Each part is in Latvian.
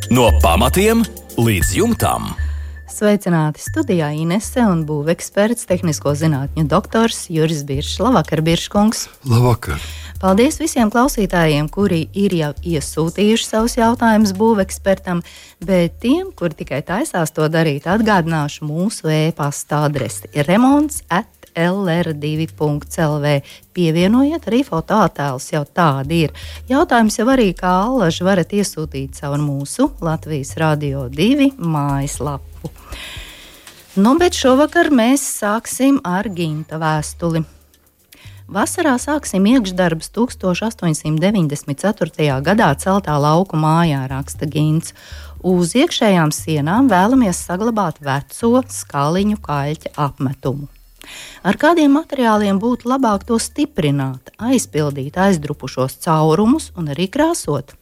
No pamatiem līdz jumtam. Sveicināti studijā Inese un būveksperts, tehnisko zinātņu doktors Juris Biršs. Labvakar, Birškungs! Labvakar! Paldies visiem klausītājiem, kuri ir jau iesūtījuši savus jautājumus būvekspertam, bet tiem, kuri tikai taisās to darīt, atgādināšu mūsu e-pasta adresi remonts@lr2.lv. Pievienojiet arī fotoattēlus, jau tādi ir. Jautājums jau arī kā allaži varat iesūtīt caur mūsu Latvijas Radio 2 mājaslapu. Bet šovakar mēs sāksim ar Ginta vēstuli. Vasarā sāksim iekšdarbus 1894. gadā celtā lauku mājā, raksta Gints. Uz iekšējām sienām vēlamies saglabāt veco skaliņu kaļķa apmetumu. Ar kādiem materiāliem būtu labāk to stiprināt, aizpildīt aizdrupušos caurumus un arī krāsot?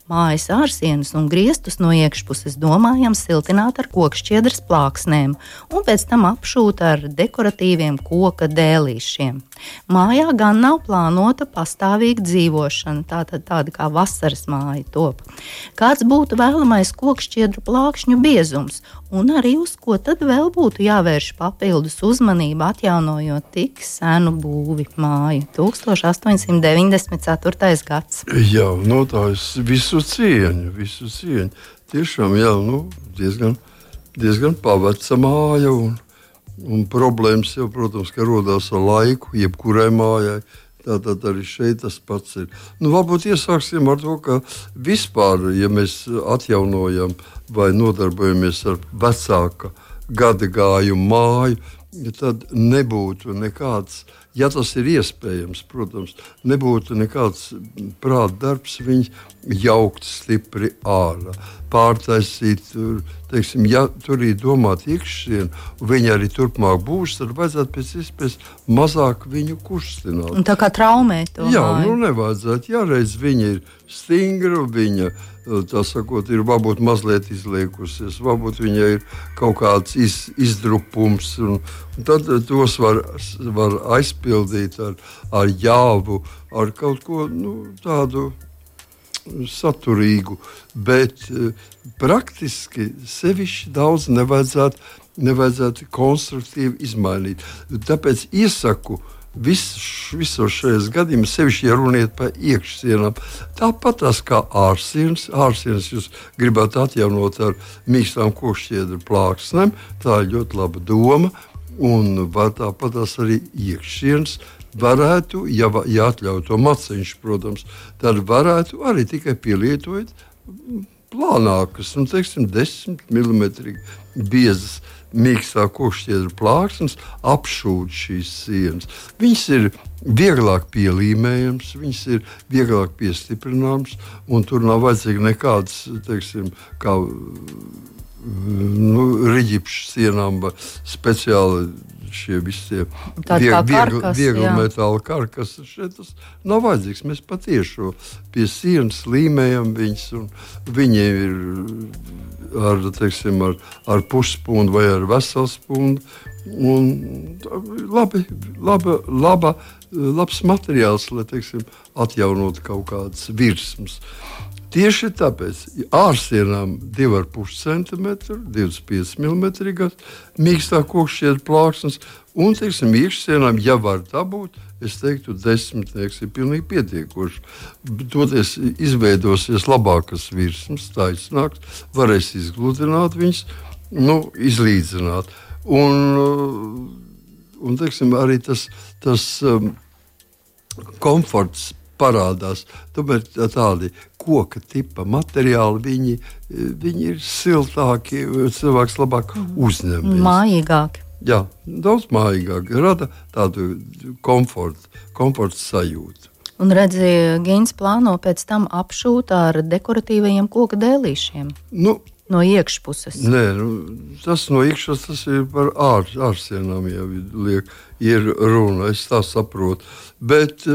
Mājas ārsienas un griestus no iekšpuses domājam siltināt ar kokšķiedras plāksnēm un pēc tam apšūt ar dekoratīviem koka dēlīšiem. Mājā gan nav plānota pastāvīga dzīvošana, tāda kā vasaras māja top. Kāds būtu vēlamais kokšķiedru plākšņu biezums un arī uz ko tad vēl būtu jāvērš papildus uzmanība, atjaunojot tik senu būvi māju? 1894. gads. Jā, tā es visu cieņu. Tiešām, diezgan paveca māja un problēmas jau, protams, ka rodās ar laiku, jebkurai mājai. Tātad arī šeit tas pats ir. Varbūt iesāksim ar to, ka vispār, ja mēs atjaunojam vai nodarbojamies ar vecāka gada gājumu māju, tad nebūtu nekāds, ja tas ir iespējams, protams, nebūtu nekāds prāta darbs viņu jaukt stipri ārā, pārtaisīt, teiksim, ja tur ir domāta iekšsiena, un viņi arī turpmāk būs, tad vajadzētu pēc iespējas mazāk viņu kustināt. Un tā kā traumēt to māju. Nevajadzētu, ja reiz viņa ir stingra, viņa, tā sakot, ir varbūt mazliet izliekusies, varbūt viņai ir kaut kāds izdrupums, un tad tos var aizpildīt ar jāvu, ar kaut ko tādu saturīgu, bet praktiski sevišķi daudz nevajadzētu konstruktīvi izmainīt. Tāpēc iesaku visos šajos gadījumos, sevišķi, ja runiet par iekšsienām, tāpat tās kā ārsienas. Ārsienas jūs gribētu atjaunot ar mīkstām kokšķiedru plāksnēm, tā ir ļoti laba doma, un tāpat tās arī iekšsienas varētu, ja atļauj to maciņš, protams, tad varētu arī tikai pielietojot plānākas, 10 mm biezas mīkstā kokšķiedru plāksnes, apšūt šīs sienas. Viņas ir vieglāk pielīmējams, viņas ir vieglāk piestiprināmas, un tur nav vajadzīgi nekādas, teiksim, kā riģipšu sienām, speciāli šie visi viegli metāla karkas. Šeit tas nav vajadzīgs. Mēs patiešo pie sienas līmējam viņas, un viņi ir ar puspundu vai ar veselspundu. Labs materiāls, lai, teiksim, atjaunot kaut kādas virsmas. Tieši tāpēc ārsienām 2,5 cm, 25 mm mīkstā kokšķiedra plāksnes, un, teiksim, iekšsienām, ja var tā būt, es teiktu, 10 ir pilnīgi pietiekoši. Toties izveidosies labākas virsmas, taisnāks, varēs izgludināt viņas, izlīdzināt. Un teiksim, arī tas komforts parādās. Tomēr tādi koka tipa materiāli, viņi ir siltāki, cilvēks labāk uzņem. Mājīgāki. Jā, daudz mājīgāk. Rada tādu komforta sajūtu. Un redzi, Gins plāno pēc tam apšūt ar dekoratīvajiem koka dēlīšiem. No iekšpuses. Nē, tas no iekšpuses, tas ir par ārsienām jau ir runa, es tā saprotu. Bet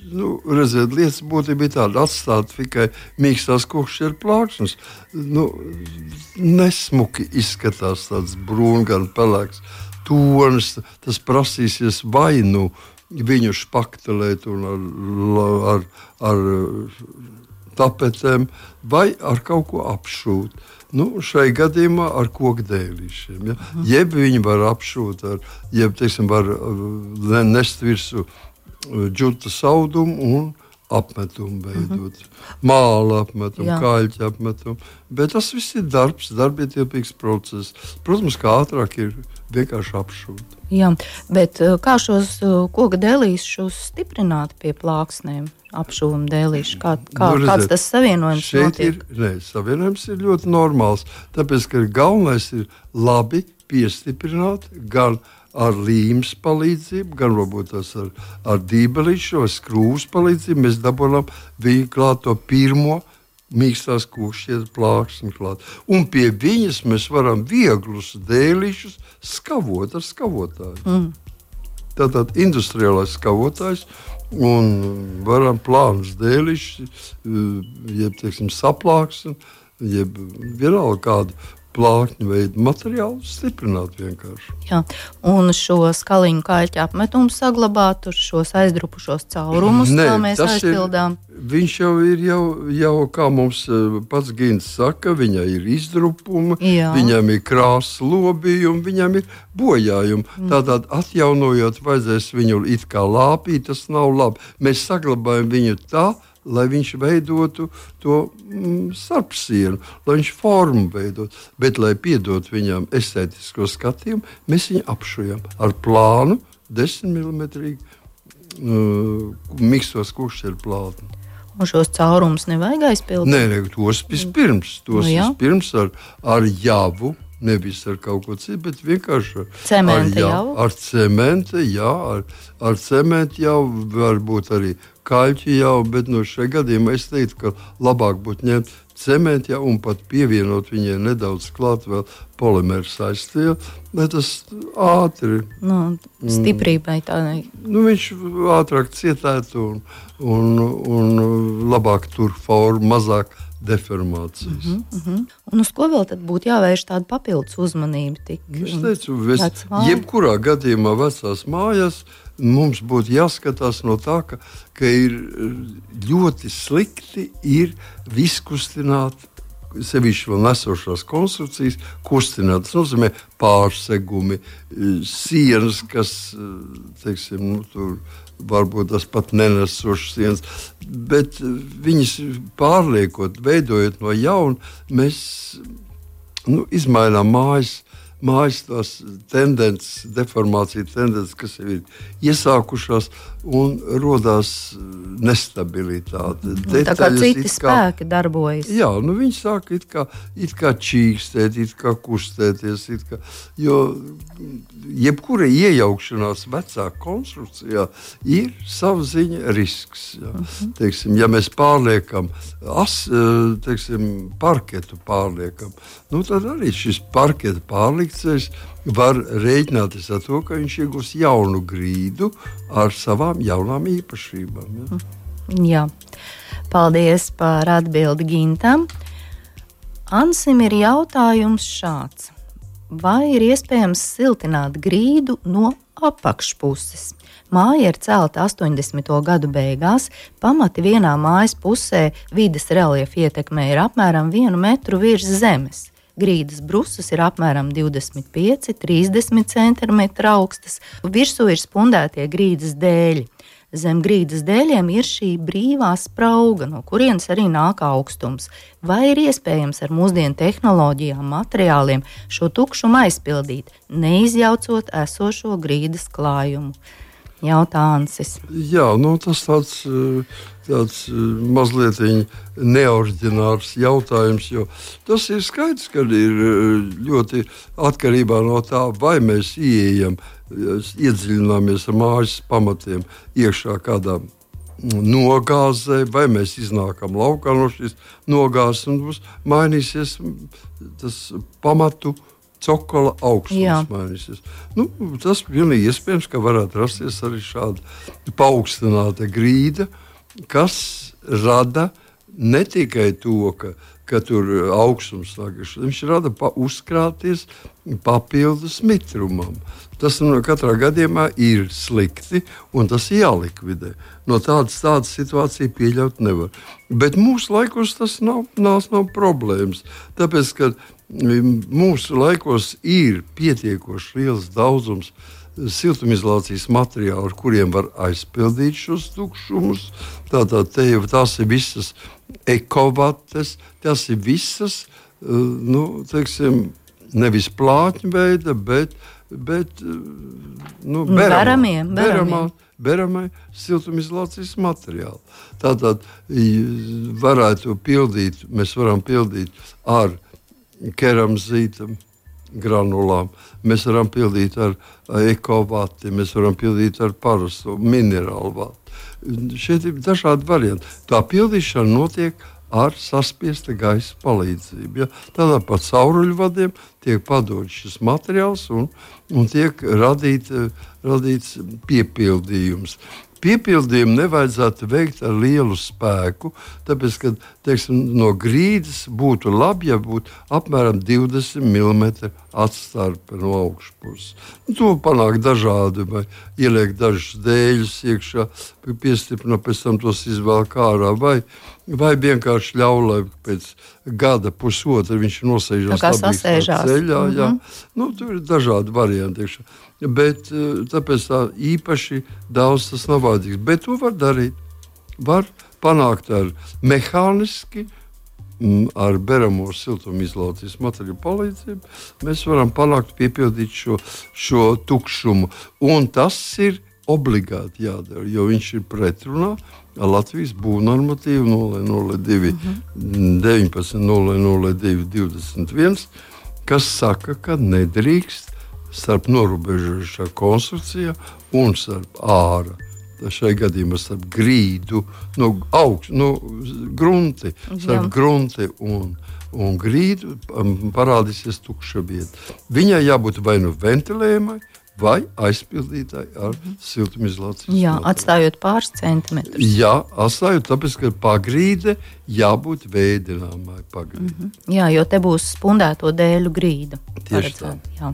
redziet, lietas būtība bija tāda, atstāt tikai mīkstās kokšķiedru plāksnes. Nesmuki izskatās tāds brūngan pelēks tonis, tas prasīsies vai viņu špaktelēt un ar tapetēm vai ar kaut ko apšūt. Nu, šai gadījumā ar kokdēlīšiem. Ja? Jeb viņi var apšūt, var nest virsū džutas audumu un apmetumu veidot. Māla apmetumu, kaļķa apmetumu. Bet tas viss ir darbietilpīgs process. Protams, kā ātrāk ir vienkārši apšūt. Jā, bet kā šos koka dēlīšus stiprināt pie plāksnēm? Apšūvam dēlīšu. Kāds tas savienojums notiek? Savienojums ir ļoti normāls. Tāpēc, ka galvenais ir labi piestiprināt gan ar līmes palīdzību, gan varbūt tas ar dībelīšu vai skrūvas palīdzību. Mēs dabūjam viņu klāt to pirmo mīkstās kūšķietas plāksni klāt. Un pie viņas mēs varam vieglus dēlīšus skavot ar skavotāju. Tātad industriālais skavotājs un varam plānus dēlīšus, jeb, saplāksni, jeb vienalga kādu plākņu veidu materiālu stiprināt vienkārši. Jā, un šo skaliņu kaļķu apmetumu saglabāt, tur šos aizdrupušos caurumus, kā mēs aizpildām. Viņš jau ir, kā mums pats Gins saka, viņai ir izdrupumi, viņam ir krāsas lobījumi, viņam ir bojājumi. Tātad atjaunojot, vajadzēs viņu it kā lāpīt, tas nav labi. Mēs saglabājam viņu tā, lai viņš veidotu to starpsienu, lai viņš formu veidot. Bet, lai piedot viņam estētisko skatījumu, mēs viņu apšujam ar plānu 10 mm mikstos kūkšķeru plātni. Un šos caurumus nevajag aizpildīt? Nē, tos vispirms ar javu, nevis ar kaut ko citu, bet vienkārši ar cementu jau. Ar cementu jau varbūt arī kaļķi jau, bet šajā gadījumā es teiktu, ka labāk būtu ņemt cementu jau un pat pievienot viņai nedaudz klāt vēl polimēru saistību, lai tas ātri... Stiprībai tādai. Viņš ātrāk cietētu un labāk tur formu, mazāk deformācijas. Un uz ko vēl tad būtu jāvērš tāda papildus uzmanība? Es teicu, jebkurā gadījumā vecās mājās mums būtu jāskatās no tā, ka ir ļoti slikti ir viskustināt, sevišķi vēl nesošās konstrukcijas, kustināt. Tas nozīmē pārsegumi, sienas, kas, tur varbūt tas pat nenesošas sienas, bet viņas pārliekot, veidojot no jauna, mēs izmainām mājas tās tendences, deformācija tendences, kas jau ir iesākušās un rodās nestabilitāte. Tā kā citi spēki darbojas. Jā, viņi sāk it kā čīkstēt, it kā kustēties, jo jebkura iejaukšanās vecā konstrukcijā ir sava ziņa risks. Jā. Ja mēs pārliekam, parketu pārliekam, tad arī šis parketa pārlikcējs var rēķināties ar to, ka viņš iegūs jaunu grīdu ar savām jaunām īpašībām. Jā. Paldies par atbildi Gintam. Ansim ir jautājums šāds. Vai ir iespējams siltināt grīdu no apakšpuses? Māja ir celta 80. gadu beigās, pamati vienā mājas pusē vides reliefa ietekmē ir apmēram 1 metru virs zemes. Grīdas brusas ir apmēram 25–30 cm augstas, virsū ir spundētie grīdas dēļi. Zem grīdas dēļiem ir šī brīvā sprauga, no kurienes arī nāk augstums. Vai ir iespējams ar mūsdienu tehnoloģijām, materiāliem šo tukšumu aizpildīt, neizjaucot esošo grīdas klājumu? Jautā Ansis. Jā, tas tāds mazliet neoriģināls jautājums, jo tas ir skaidrs, ka ir ļoti atkarībā no tā, vai mēs iedziļināmies ar mājas pamatiem iekšā kādā nogāzē, vai mēs iznākam laukā no šīs nogāzes un mums mainīsies tas pamatu cokola augstums mainīsies. Tas pilnīgi iespējams, ka varētu rasties arī šāda paaugstināta grīda, kas rada ne tikai to, ka tur augstums nāk, viņš rada uzkrāties papildus mitrumam. Tas katrā gadījumā ir slikti, un tas jālikvidē. No tādas situācijas pieļaut nevar. Bet mūsu laikos tas nav problēmas. Tāpēc, ka mūsu laikos ir pietiekoši liels daudzums siltumizolācijas materiālu, ar kuriem var aizpildīt šos tukšumus. Tātad tās ir visas ekovates, tas ir visas, nevis plātņu veida, bet beramai siltumizolācijas materiāli. Tātad mēs varam pildīt ar keramzīta granulām, mēs varam pildīt ar ekovati, mēs varam pildīt ar parasto minerālu vati. Šeit ir dažādi varianti. Tā pildīšana notiek ar saspiesta gaisa palīdzību. Ja? Tādā pa cauruļvadiem tiek padots šis materiāls un tiek radīts piepildījums. Piepildījumu nevajadzētu veikt ar lielu spēku, tāpēc, ka no grīdas būtu labi, ja būtu apmēram 20 mm atstarpe no augšpuses. To panāk dažādi, vai ieliek dažus dēļus iekšā, piestiprina, pēc tam tos izvēlk ārā, vai vienkārši ļauj, lai pēc gada pusotra viņš nosēžās ceļā. Jā. Tur ir dažādi varianti iekšā. Bet tāpēc tā īpaši daudz tas nav vajadzīgs. Bet to var darīt. Var panākt ar mehāniski, ar beramo siltumizolācijas materiālu palīdzību. Mēs varam panākt piepildīt šo tukšumu. Un tas ir obligāti jādara, jo viņš ir pretrunā ar Latvijas būvnormatīvu 002 19 002 21, kas saka, ka nedrīkst starp norobežojušā konstrukcijā un starp āra. Šai gadījumā starp grīdu, grunti, starp grunti un grīdu parādīsies tukša vieta. Viņai jābūt vai nu ventilējumai, vai aizpildītāji ar siltumizolācijas materiālu. Atstājot pāris centimetrus. Jā, atstājot, tāpēc, ka pagrīde jābūt veidināmai pagrīde. Jā, jo te būs spundēto dēļu grīda. Tieši tā. Jā.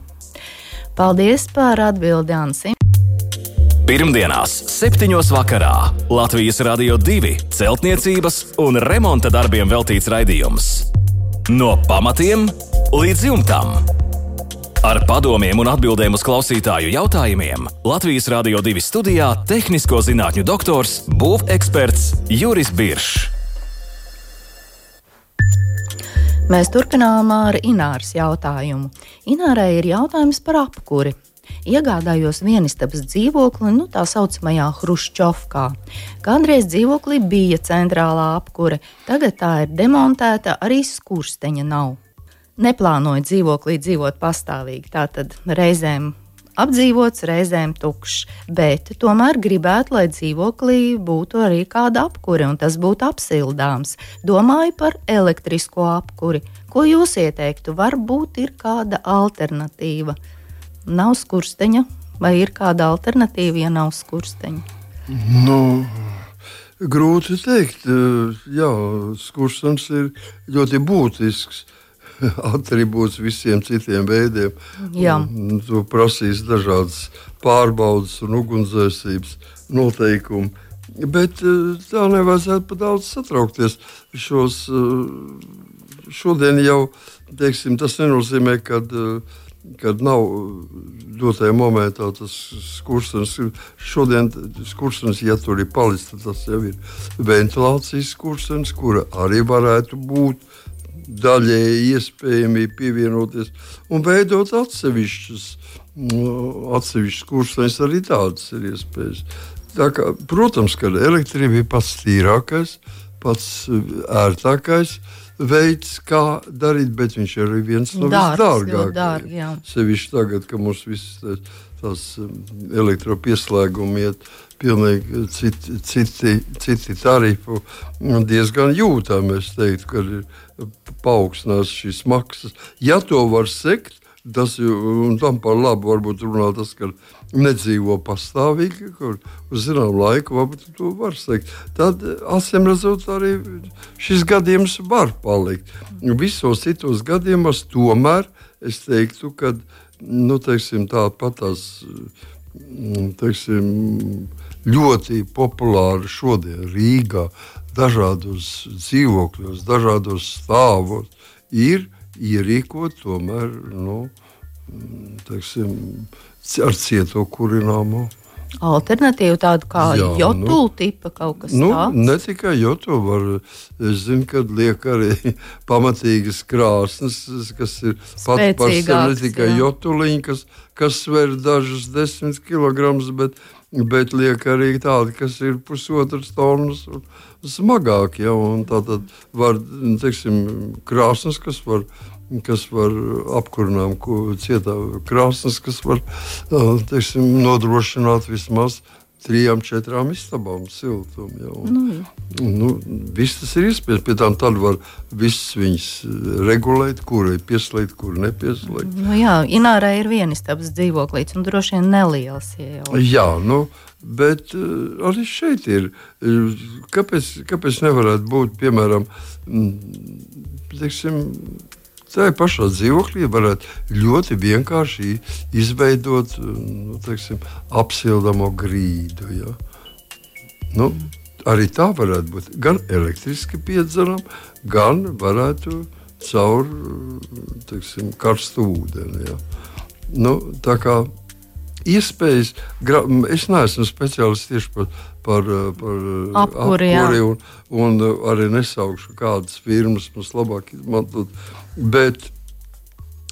Paldies par atbildi, Ansi. Pirmdienās 7. vakarā Latvijas Radio 2 celtniecības un remonta darbiem veltīts raidījums. No pamatiem līdz jumtam. Ar padomiem un atbildēm uz klausītāju jautājumiem Latvijas Radio 2 studijā tehnisko zinātņu doktors, būveksperts Juris Biršs. Mēs turpinām ar Ināras jautājumu. Inārai ir jautājums par apkuri. Iegādājos vienistabas dzīvokli, tā saucamajā Hruščovkā. Kādreiz dzīvoklī bija centrālā apkure, tagad tā ir demontēta, arī skursteņa nav. Neplānoju dzīvoklī dzīvot pastāvīgi, tātad reizēm apdzīvots, reizēm tukšs, bet tomēr gribētu, lai dzīvoklī būtu arī kāda apkure, un tas būtu apsildāms. Domāju par elektrisko apkuri. Ko jūs ieteiktu? Varbūt ir kāda alternatīva? Nav skursteņa, vai ir kāda alternatīva, ja nav skursteņa? Grūti teikt. Jā, skurstenis ir ļoti būtisks atribūts visiem citiem veidiem. Tu prasīs dažādas pārbaudas un ugunsdzēsības noteikumi. Bet tā nevajadzētu pa daudz satraukties. Šodien jau, tas nenozīmē, kad nav dotajā momentā tas skurstenis. Šodien skurstenis, ja tur ir palicis, tad tas jau ir ventilācijas skurstenis, kura arī varētu būt daļēji iespējami pievienoties un veidot atsevišķus skursteņus, arī tādas ir iespējas. Tā kā, protams, ka elektrība ir pats tīrākais, pats ērtākais veids, kā darīt, bet viņš ir arī viens no visdārgākajiem. Sevišķi tagad, ka mums viss tās elektropieslēgumi iet pilnīgi citi tarifu diezgan jūtami. Es teiktu, ka ir paaugstinās šīs maksas. Ja to var sekt, un tam par labu varbūt runā tas, ka nedzīvo pastāvīgi, kur uz zinām laiku varbūt to var teikt. Tad, acīm redzot, arī šis gadījums var palikt. Visos citos gadījumos tomēr es teiktu, ka tās ļoti populāri šodien Rīgā dažādos dzīvokļos, dažādos stāvos ir ierīkot tomēr ar cieto kurināmo. Alternatīva tāda kā jotulu tipa kaut kas tāds? Ne tikai jotulu, es zinu, kad liek arī pamatīgas krāsnes, kas ir pat par sevi ne tikai jotuliņi, kas sver dažus 10 kilogramus, bet liek arī tādi, kas ir 1,5 tonnas un smagāk, un tātad var, krāsnes, kas var apkurinām cietā krāsnes, kas var, nodrošināt vismaz 3-4 istabām siltumu. Viss tas ir iespējams, pie tām tad var viss viņas regulēt, kuri pieslēgt, kuri nepieslēgt. Inārā ir vienistabas dzīvoklīts un droši vien neliels. Jā, bet arī šeit ir, kāpēc nevarētu būt, piemēram, tā pašā dzīvoklī varētu ļoti vienkārši izveidot apsildamo grīdu. Ja? Arī tā varētu būt gan elektriski piedzeram, gan varētu caur karstu ūdeni. Ja? Tā kā iespējas, es neesmu speciālists tieši par apkuri un arī nesaukšu kādas firmas mums labāk izmantot, bet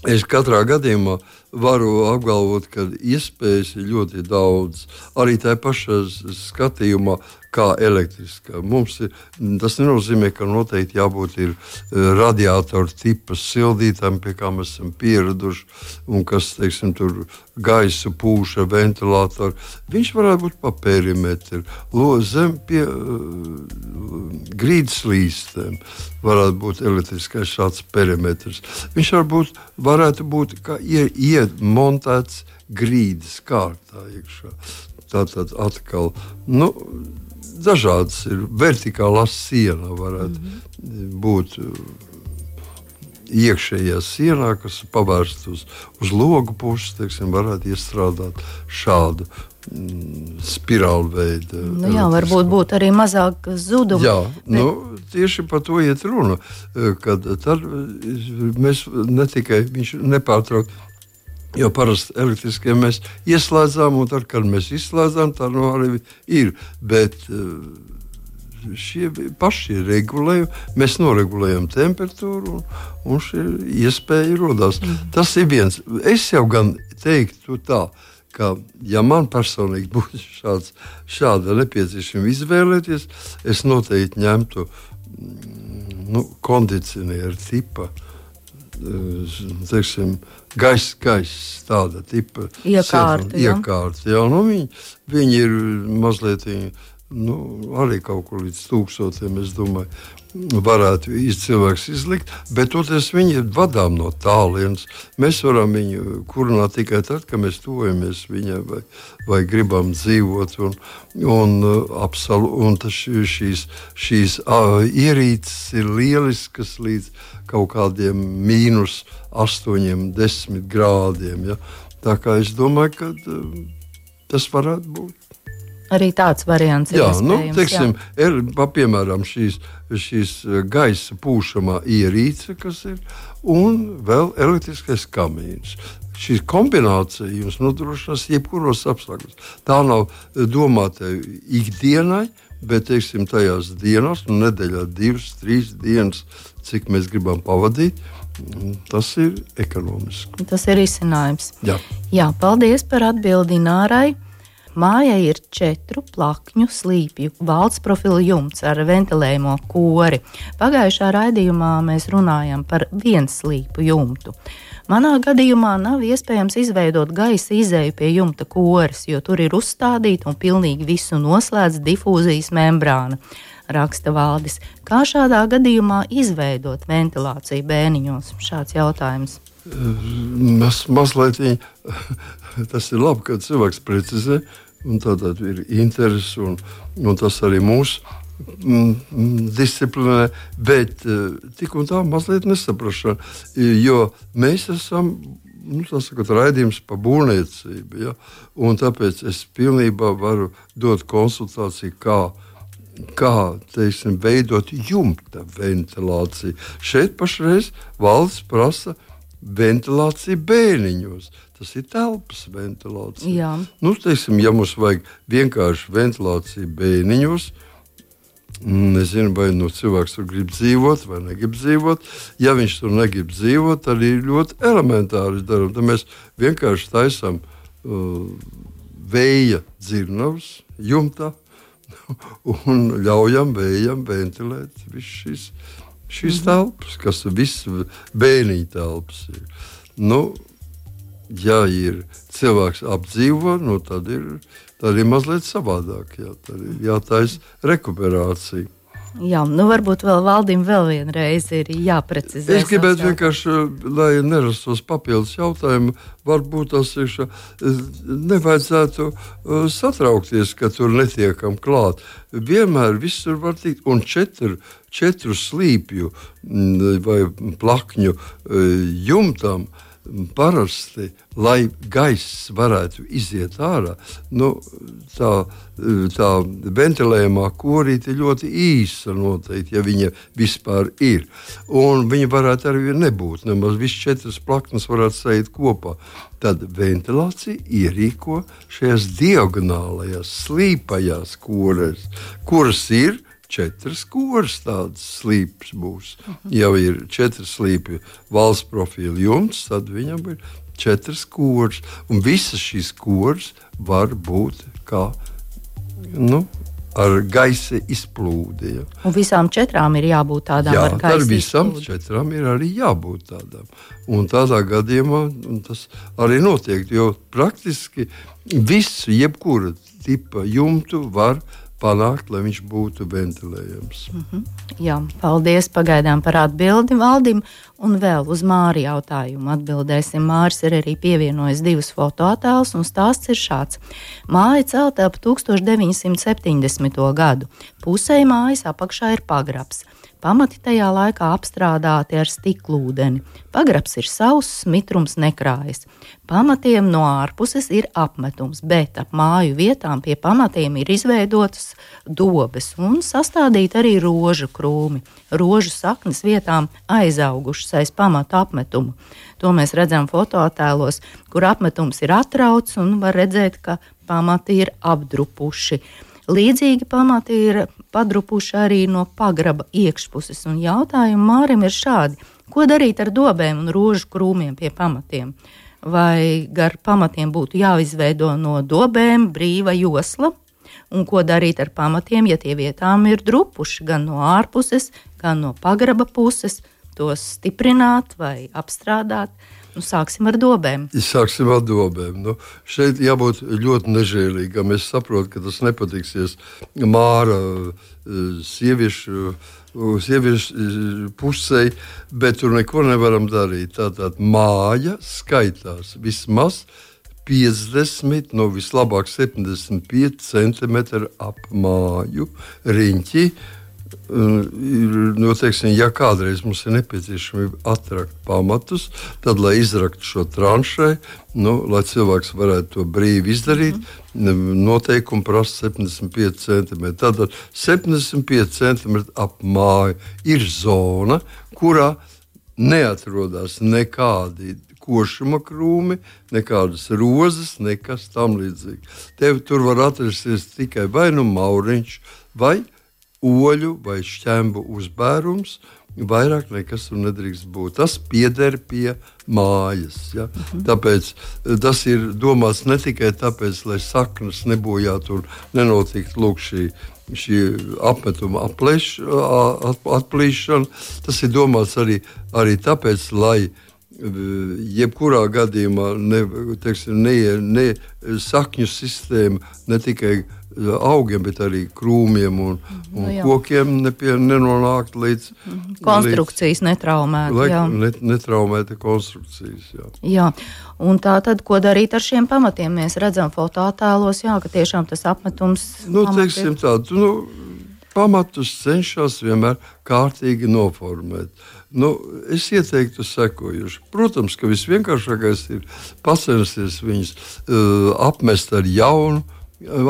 es katrā gadījumā varu apgalvot, ka iespējas ir ļoti daudz. Arī tā pašā skatījumā, kā elektriskā. Tas nenozīmē, ka noteikti jābūt radiatoru tipa sildītājiem, pie kā mēs esam pieraduši, un kas, tur gaisu pūša ventilātori. Viņš varētu būt pa perimetru, zem pie grīdas līstēm. Varētu būt elektriskais šāds perimetrs. Viņš varētu būt kā iemontēts grīdas kārtā iekšā. Tātad atkal, dažādas ir vertikālā siena varētu būt iekšējā sienā, kas pavērst uz logu puses, varētu iestrādāt šādu spirālu veidu. Varbūt būtu arī mazāk zudumu. Jā, tieši par to iet runa, kad tad mēs ne tikai viņš nepārtraukt. Jo parasti elektriskie mēs ieslēdzām, un tad, kad mēs izslēdzām, tā arī ir. Bet šie paši regulējumi, mēs noregulējam temperatūru, un šī iespēja rodās. Tas ir viens. Es jau gan teiktu tā, ka, ja man personīgi būtu šāda nepieciešama izvēlēties, es noteikti ņemtu kondicionieru tipa, gaisa tāda tipa iekārta. Viņi ir mazliet arī kaut kur līdz 1000, es domāju, varētu cilvēks izlikt, bet toties viņi ir vadām no tālienes. Mēs varam viņu kurināt tikai tad, kad mēs tuvojamies viņai vai gribam dzīvot. Un šīs ierīces ir lieliskas līdz kaut kādiem -8, 10 grādiem. Ja? Tā kā es domāju, ka tas varētu būt. Arī tāds variants ir iespējams. Piemēram, šīs gaisa pūšamā ierīce, kas ir, un vēl elektriskais kamīns. Šī kombinācija jums nodrošinās jebkuros apstākļos. Tā nav domāta ikdienai, bet, tajās dienās, nedēļā 2-3 dienas, cik mēs gribam pavadīt, tas ir ekonomiski. Tas ir risinājums. Jā, paldies par atbildi Nārai. Mājai ir 4 plakņu slīpju valsts profila jumts ar ventilējumu kori. Pagājušā raidījumā mēs runājam par vienslīpu jumtu. Manā gadījumā nav iespējams izveidot gaisa izēju pie jumta koris, jo tur ir uzstādīta un pilnīgi visu noslēdz difūzijas membrāna. raksta Valdis. Kā šādā gadījumā izveidot ventilāciju bēniņos? Šāds jautājums. Mazliet tas ir labi, kad cilvēks precizē, un tātad ir interesi, un tas arī mūsu disciplinē, bet tik un tā mazliet nesaprašana, jo mēs esam, raidījums par būvniecību, ja? Un tāpēc es pilnībā varu dot konsultāciju, kā teiksim, veidot jumta ventilāciju. Šeit pašreiz valsts prasa ventilācija bēniņos. Tas ir telpas ventilācija. Jā. Teiksim, ja mums vajag vienkārši ventilāciju bēniņos, nezinu, vai cilvēks tur grib dzīvot vai negrib dzīvot. Ja viņš tur negrib dzīvot, tad ir ļoti elementāri darām. Tad mēs vienkārši taisam vēja dzirnavas jumtā un ļaujam vējam ventilēt visu šīs telpas, kas viss bēniņu telpas ir. Ja ir cilvēks apdzīvo, tad ir mazliet savādāk. Tad ir jātaisa rekuperācija. Jā, varbūt vēl Valdim vēl vienreiz ir jāprecizē. Es gribētu vienkārši, lai nerastos papildus jautājumu, varbūt tas ir, nevajadzētu satraukties, ka tur netiekam klāt. Vienmēr visur var tikt, un četru slīpju vai plakņu jumtam parasti, lai gaiss varētu iziet ārā, tā ventilējumā korīte ir ļoti īsa noteikti, ja viņa vispār ir. Un viņa varētu arī nebūt, nemaz viss 4 plaknes varētu saiet kopā. Tad ventilācija ierīko šajās diagonālajās slīpajās korēs, kuras ir 4 koras tādas slīpes būs. Ja ir 4 slīpju valsts profila jumts, tad viņam ir 4 koras. Un visas šīs koras var būt kā, ar gaisa izplūdi. Ja. Un visām 4 ir jābūt tādām ar gaisa izplūdi. Jā, visām 4 ir arī jābūt tādām. Un tādā gadījumā tas arī notiek, jo praktiski visu, jebkura tipa jumtu var panākt, lai viņš būtu ventilējams. Jā, paldies pagaidām par atbildi Valdim. Un vēl uz Māri jautājumu atbildēsim. Māris ir arī pievienojis 2 fotoattēlus, un stāsts ir šāds. Māja celta ap 1970. gadu. Pusei mājas apakšā ir pagrabs. Pamati tajā laikā apstrādāti ar stiklūdeni. Pagrabs ir sauss, mitrums nekrājas. Pamatiem no ārpuses ir apmetums, bet ap māju vietām pie pamatiem ir izveidotas dobes un sastādīti arī rožu krūmi. Rožu saknes vietām aizaugušas aiz pamatu apmetumu. To mēs redzam fotoattēlos, kur apmetums ir atrauts un var redzēt, ka pamati ir apdrupuši. Līdzīgi pamati ir padrupuši arī no pagraba iekšpuses, un jautājumi Mārim ir šādi. Ko darīt ar dobēm un rožu krūmiem pie pamatiem? Vai gar pamatiem būtu jāizveido no dobēm brīva josla? Un ko darīt ar pamatiem, ja tie vietām ir drupuši gan no ārpuses, gan no pagraba puses? Tos stiprināt vai apstrādāt? Sāksim ar dobēm. Sāksim ar dobēm. Šeit jābūt ļoti nežēlīgam. Es saprotu, ka tas nepatiksies Māra sieviešu pusē, bet tur neko nevaram darīt. Tātad māja skaitās vismaz 50, vislabāk 75 centimetri ap māju riņķi. Teiksim, ja kādreiz mums ir nepieciešami atrakt pamatus, tad, lai izraktu šo tranšai, lai cilvēks varētu to brīvi izdarīt, noteikumi prasa 75 centimetri. Tātad 75 centimetri ap māju ir zona, kurā neatrodas nekādi košuma krūmi, nekādas rozes, nekas tam līdzīgi. Tur var atrasties tikai vai mauriņš, vai oļu vai šķembu uzbērums, vairāk nekas tur nedrīkst būt. Tas pieder pie mājas. Ja? Tāpēc tas ir domāts ne tikai tāpēc, lai saknes nebojātu un nenotiktu šī apmetuma atplīšana. Tas ir domāts arī tāpēc, lai jebkurā gadījumā sakņu sistēma ne tikai augiem, bet arī krūmiem un kokiem nenonākt līdz konstrukcijas netraumēta. Netraumēta konstrukcijas. Jā. Un tā tad, ko darīt ar šiem pamatiem? Mēs redzam fotoattēlos, ka tiešām tas apmetums. Teiksim tādu, pamatus cenšas vienmēr kārtīgi noformēt. Es ieteiktu sekojuši. Protams, ka visvienkāršākais ir pacensties viņus apmest ar jaunu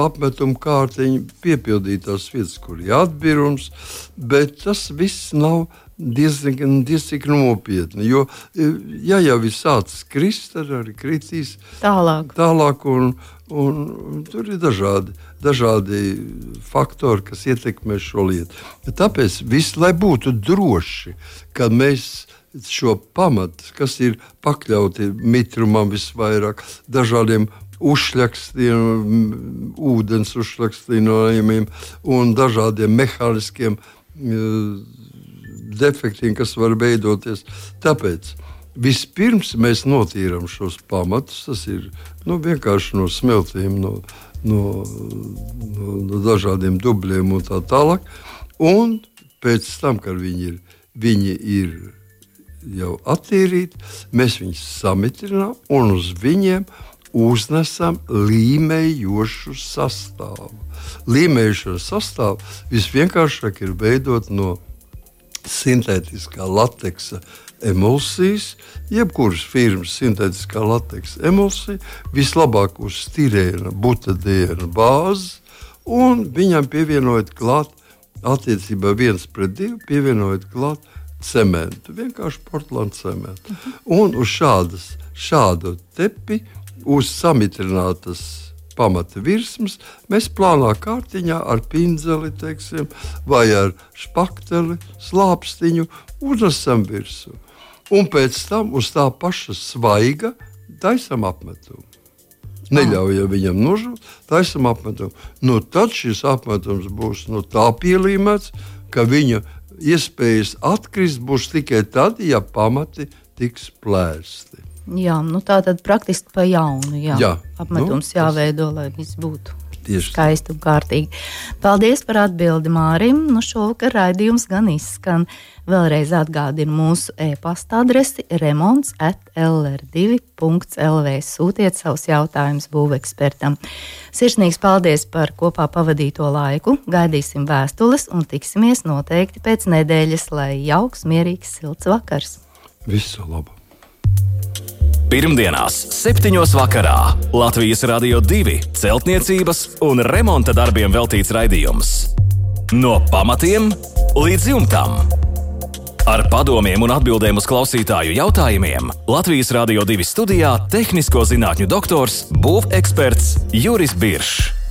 apmetumu kārtiņu, piepildīt tās vietas, kur ir atbirums, bet tas viss nav diezgan nopietni, jo jau ir sācis krist, tad arī kritīs tālāk un tur ir dažādi faktori, kas ietekmē šo lietu. Tāpēc viss, lai būtu droši, ka mēs šo pamatu, kas ir pakļauti mitrumam visvairāk, dažādiem uzšļakstiem, ūdens uzšļakstinājumiem un dažādiem mehāniskiem defektiem, kas var veidoties. Tāpēc vispirms mēs notīram šos pamatus, tas ir vienkārši no smeltiem, no dažādiem dubļiem un tā tālāk. Un pēc tam, kad viņi ir jau attīrīti, mēs viņus samitrinām un uz viņiem uznesam līmējošu sastāvu. Līmējošo sastāvu visvienkāršāk ir veidot no sintētiskā lateksa emulsijas, jebkuras firmas sintētiskā lateksa emulsija, vislabāk uz stirēna, butadiena bāzes, un viņam pievienojot klāt, attiecībā 1:2, pievienojot klāt cementu, vienkārši portlandu cementu. Un uz šādu tepi, uz samitrinātas pamata virsmas, mēs plānā kārtiņā ar pinzeli, teiksim, vai ar špakteli, slāpstiņu uznesam virsmu. Un pēc tam uz tā paša svaiga taisam apmetumu. Neļaujam viņam nožūt, taisam apmetumu. Tad šis apmetums būs tā pielīmēts, ka viņa iespējas atkrist būs tikai tad, ja pamati tiks plēsti. Jā, tā tad praktiski pa jaunu. Apmetums jāveido, lai viss būtu skaisti un kārtīgi. Paldies par atbildi Mārim. Šovakar raidījums gan izskan. Vēlreiz atgādinu mūsu e-pasta adresi remonts@lr2.lv. Sūtiet savus jautājumus būvekspertam. Sirsnīgs paldies par kopā pavadīto laiku. Gaidīsim vēstules un tiksimies noteikti pēc nedēļas, lai jauks, mierīgs, silts vakars. Visu labu! Pirmdienās, 7:00 vakarā Latvijas Radio 2 celtniecības un remonta darbiem veltīts raidījums. No pamatiem līdz jumtam. Ar padomiem un atbildēm uz klausītāju jautājumiem Latvijas Radio 2 studijā tehnisko zinātņu doktors, būveksperts Juris Biršs.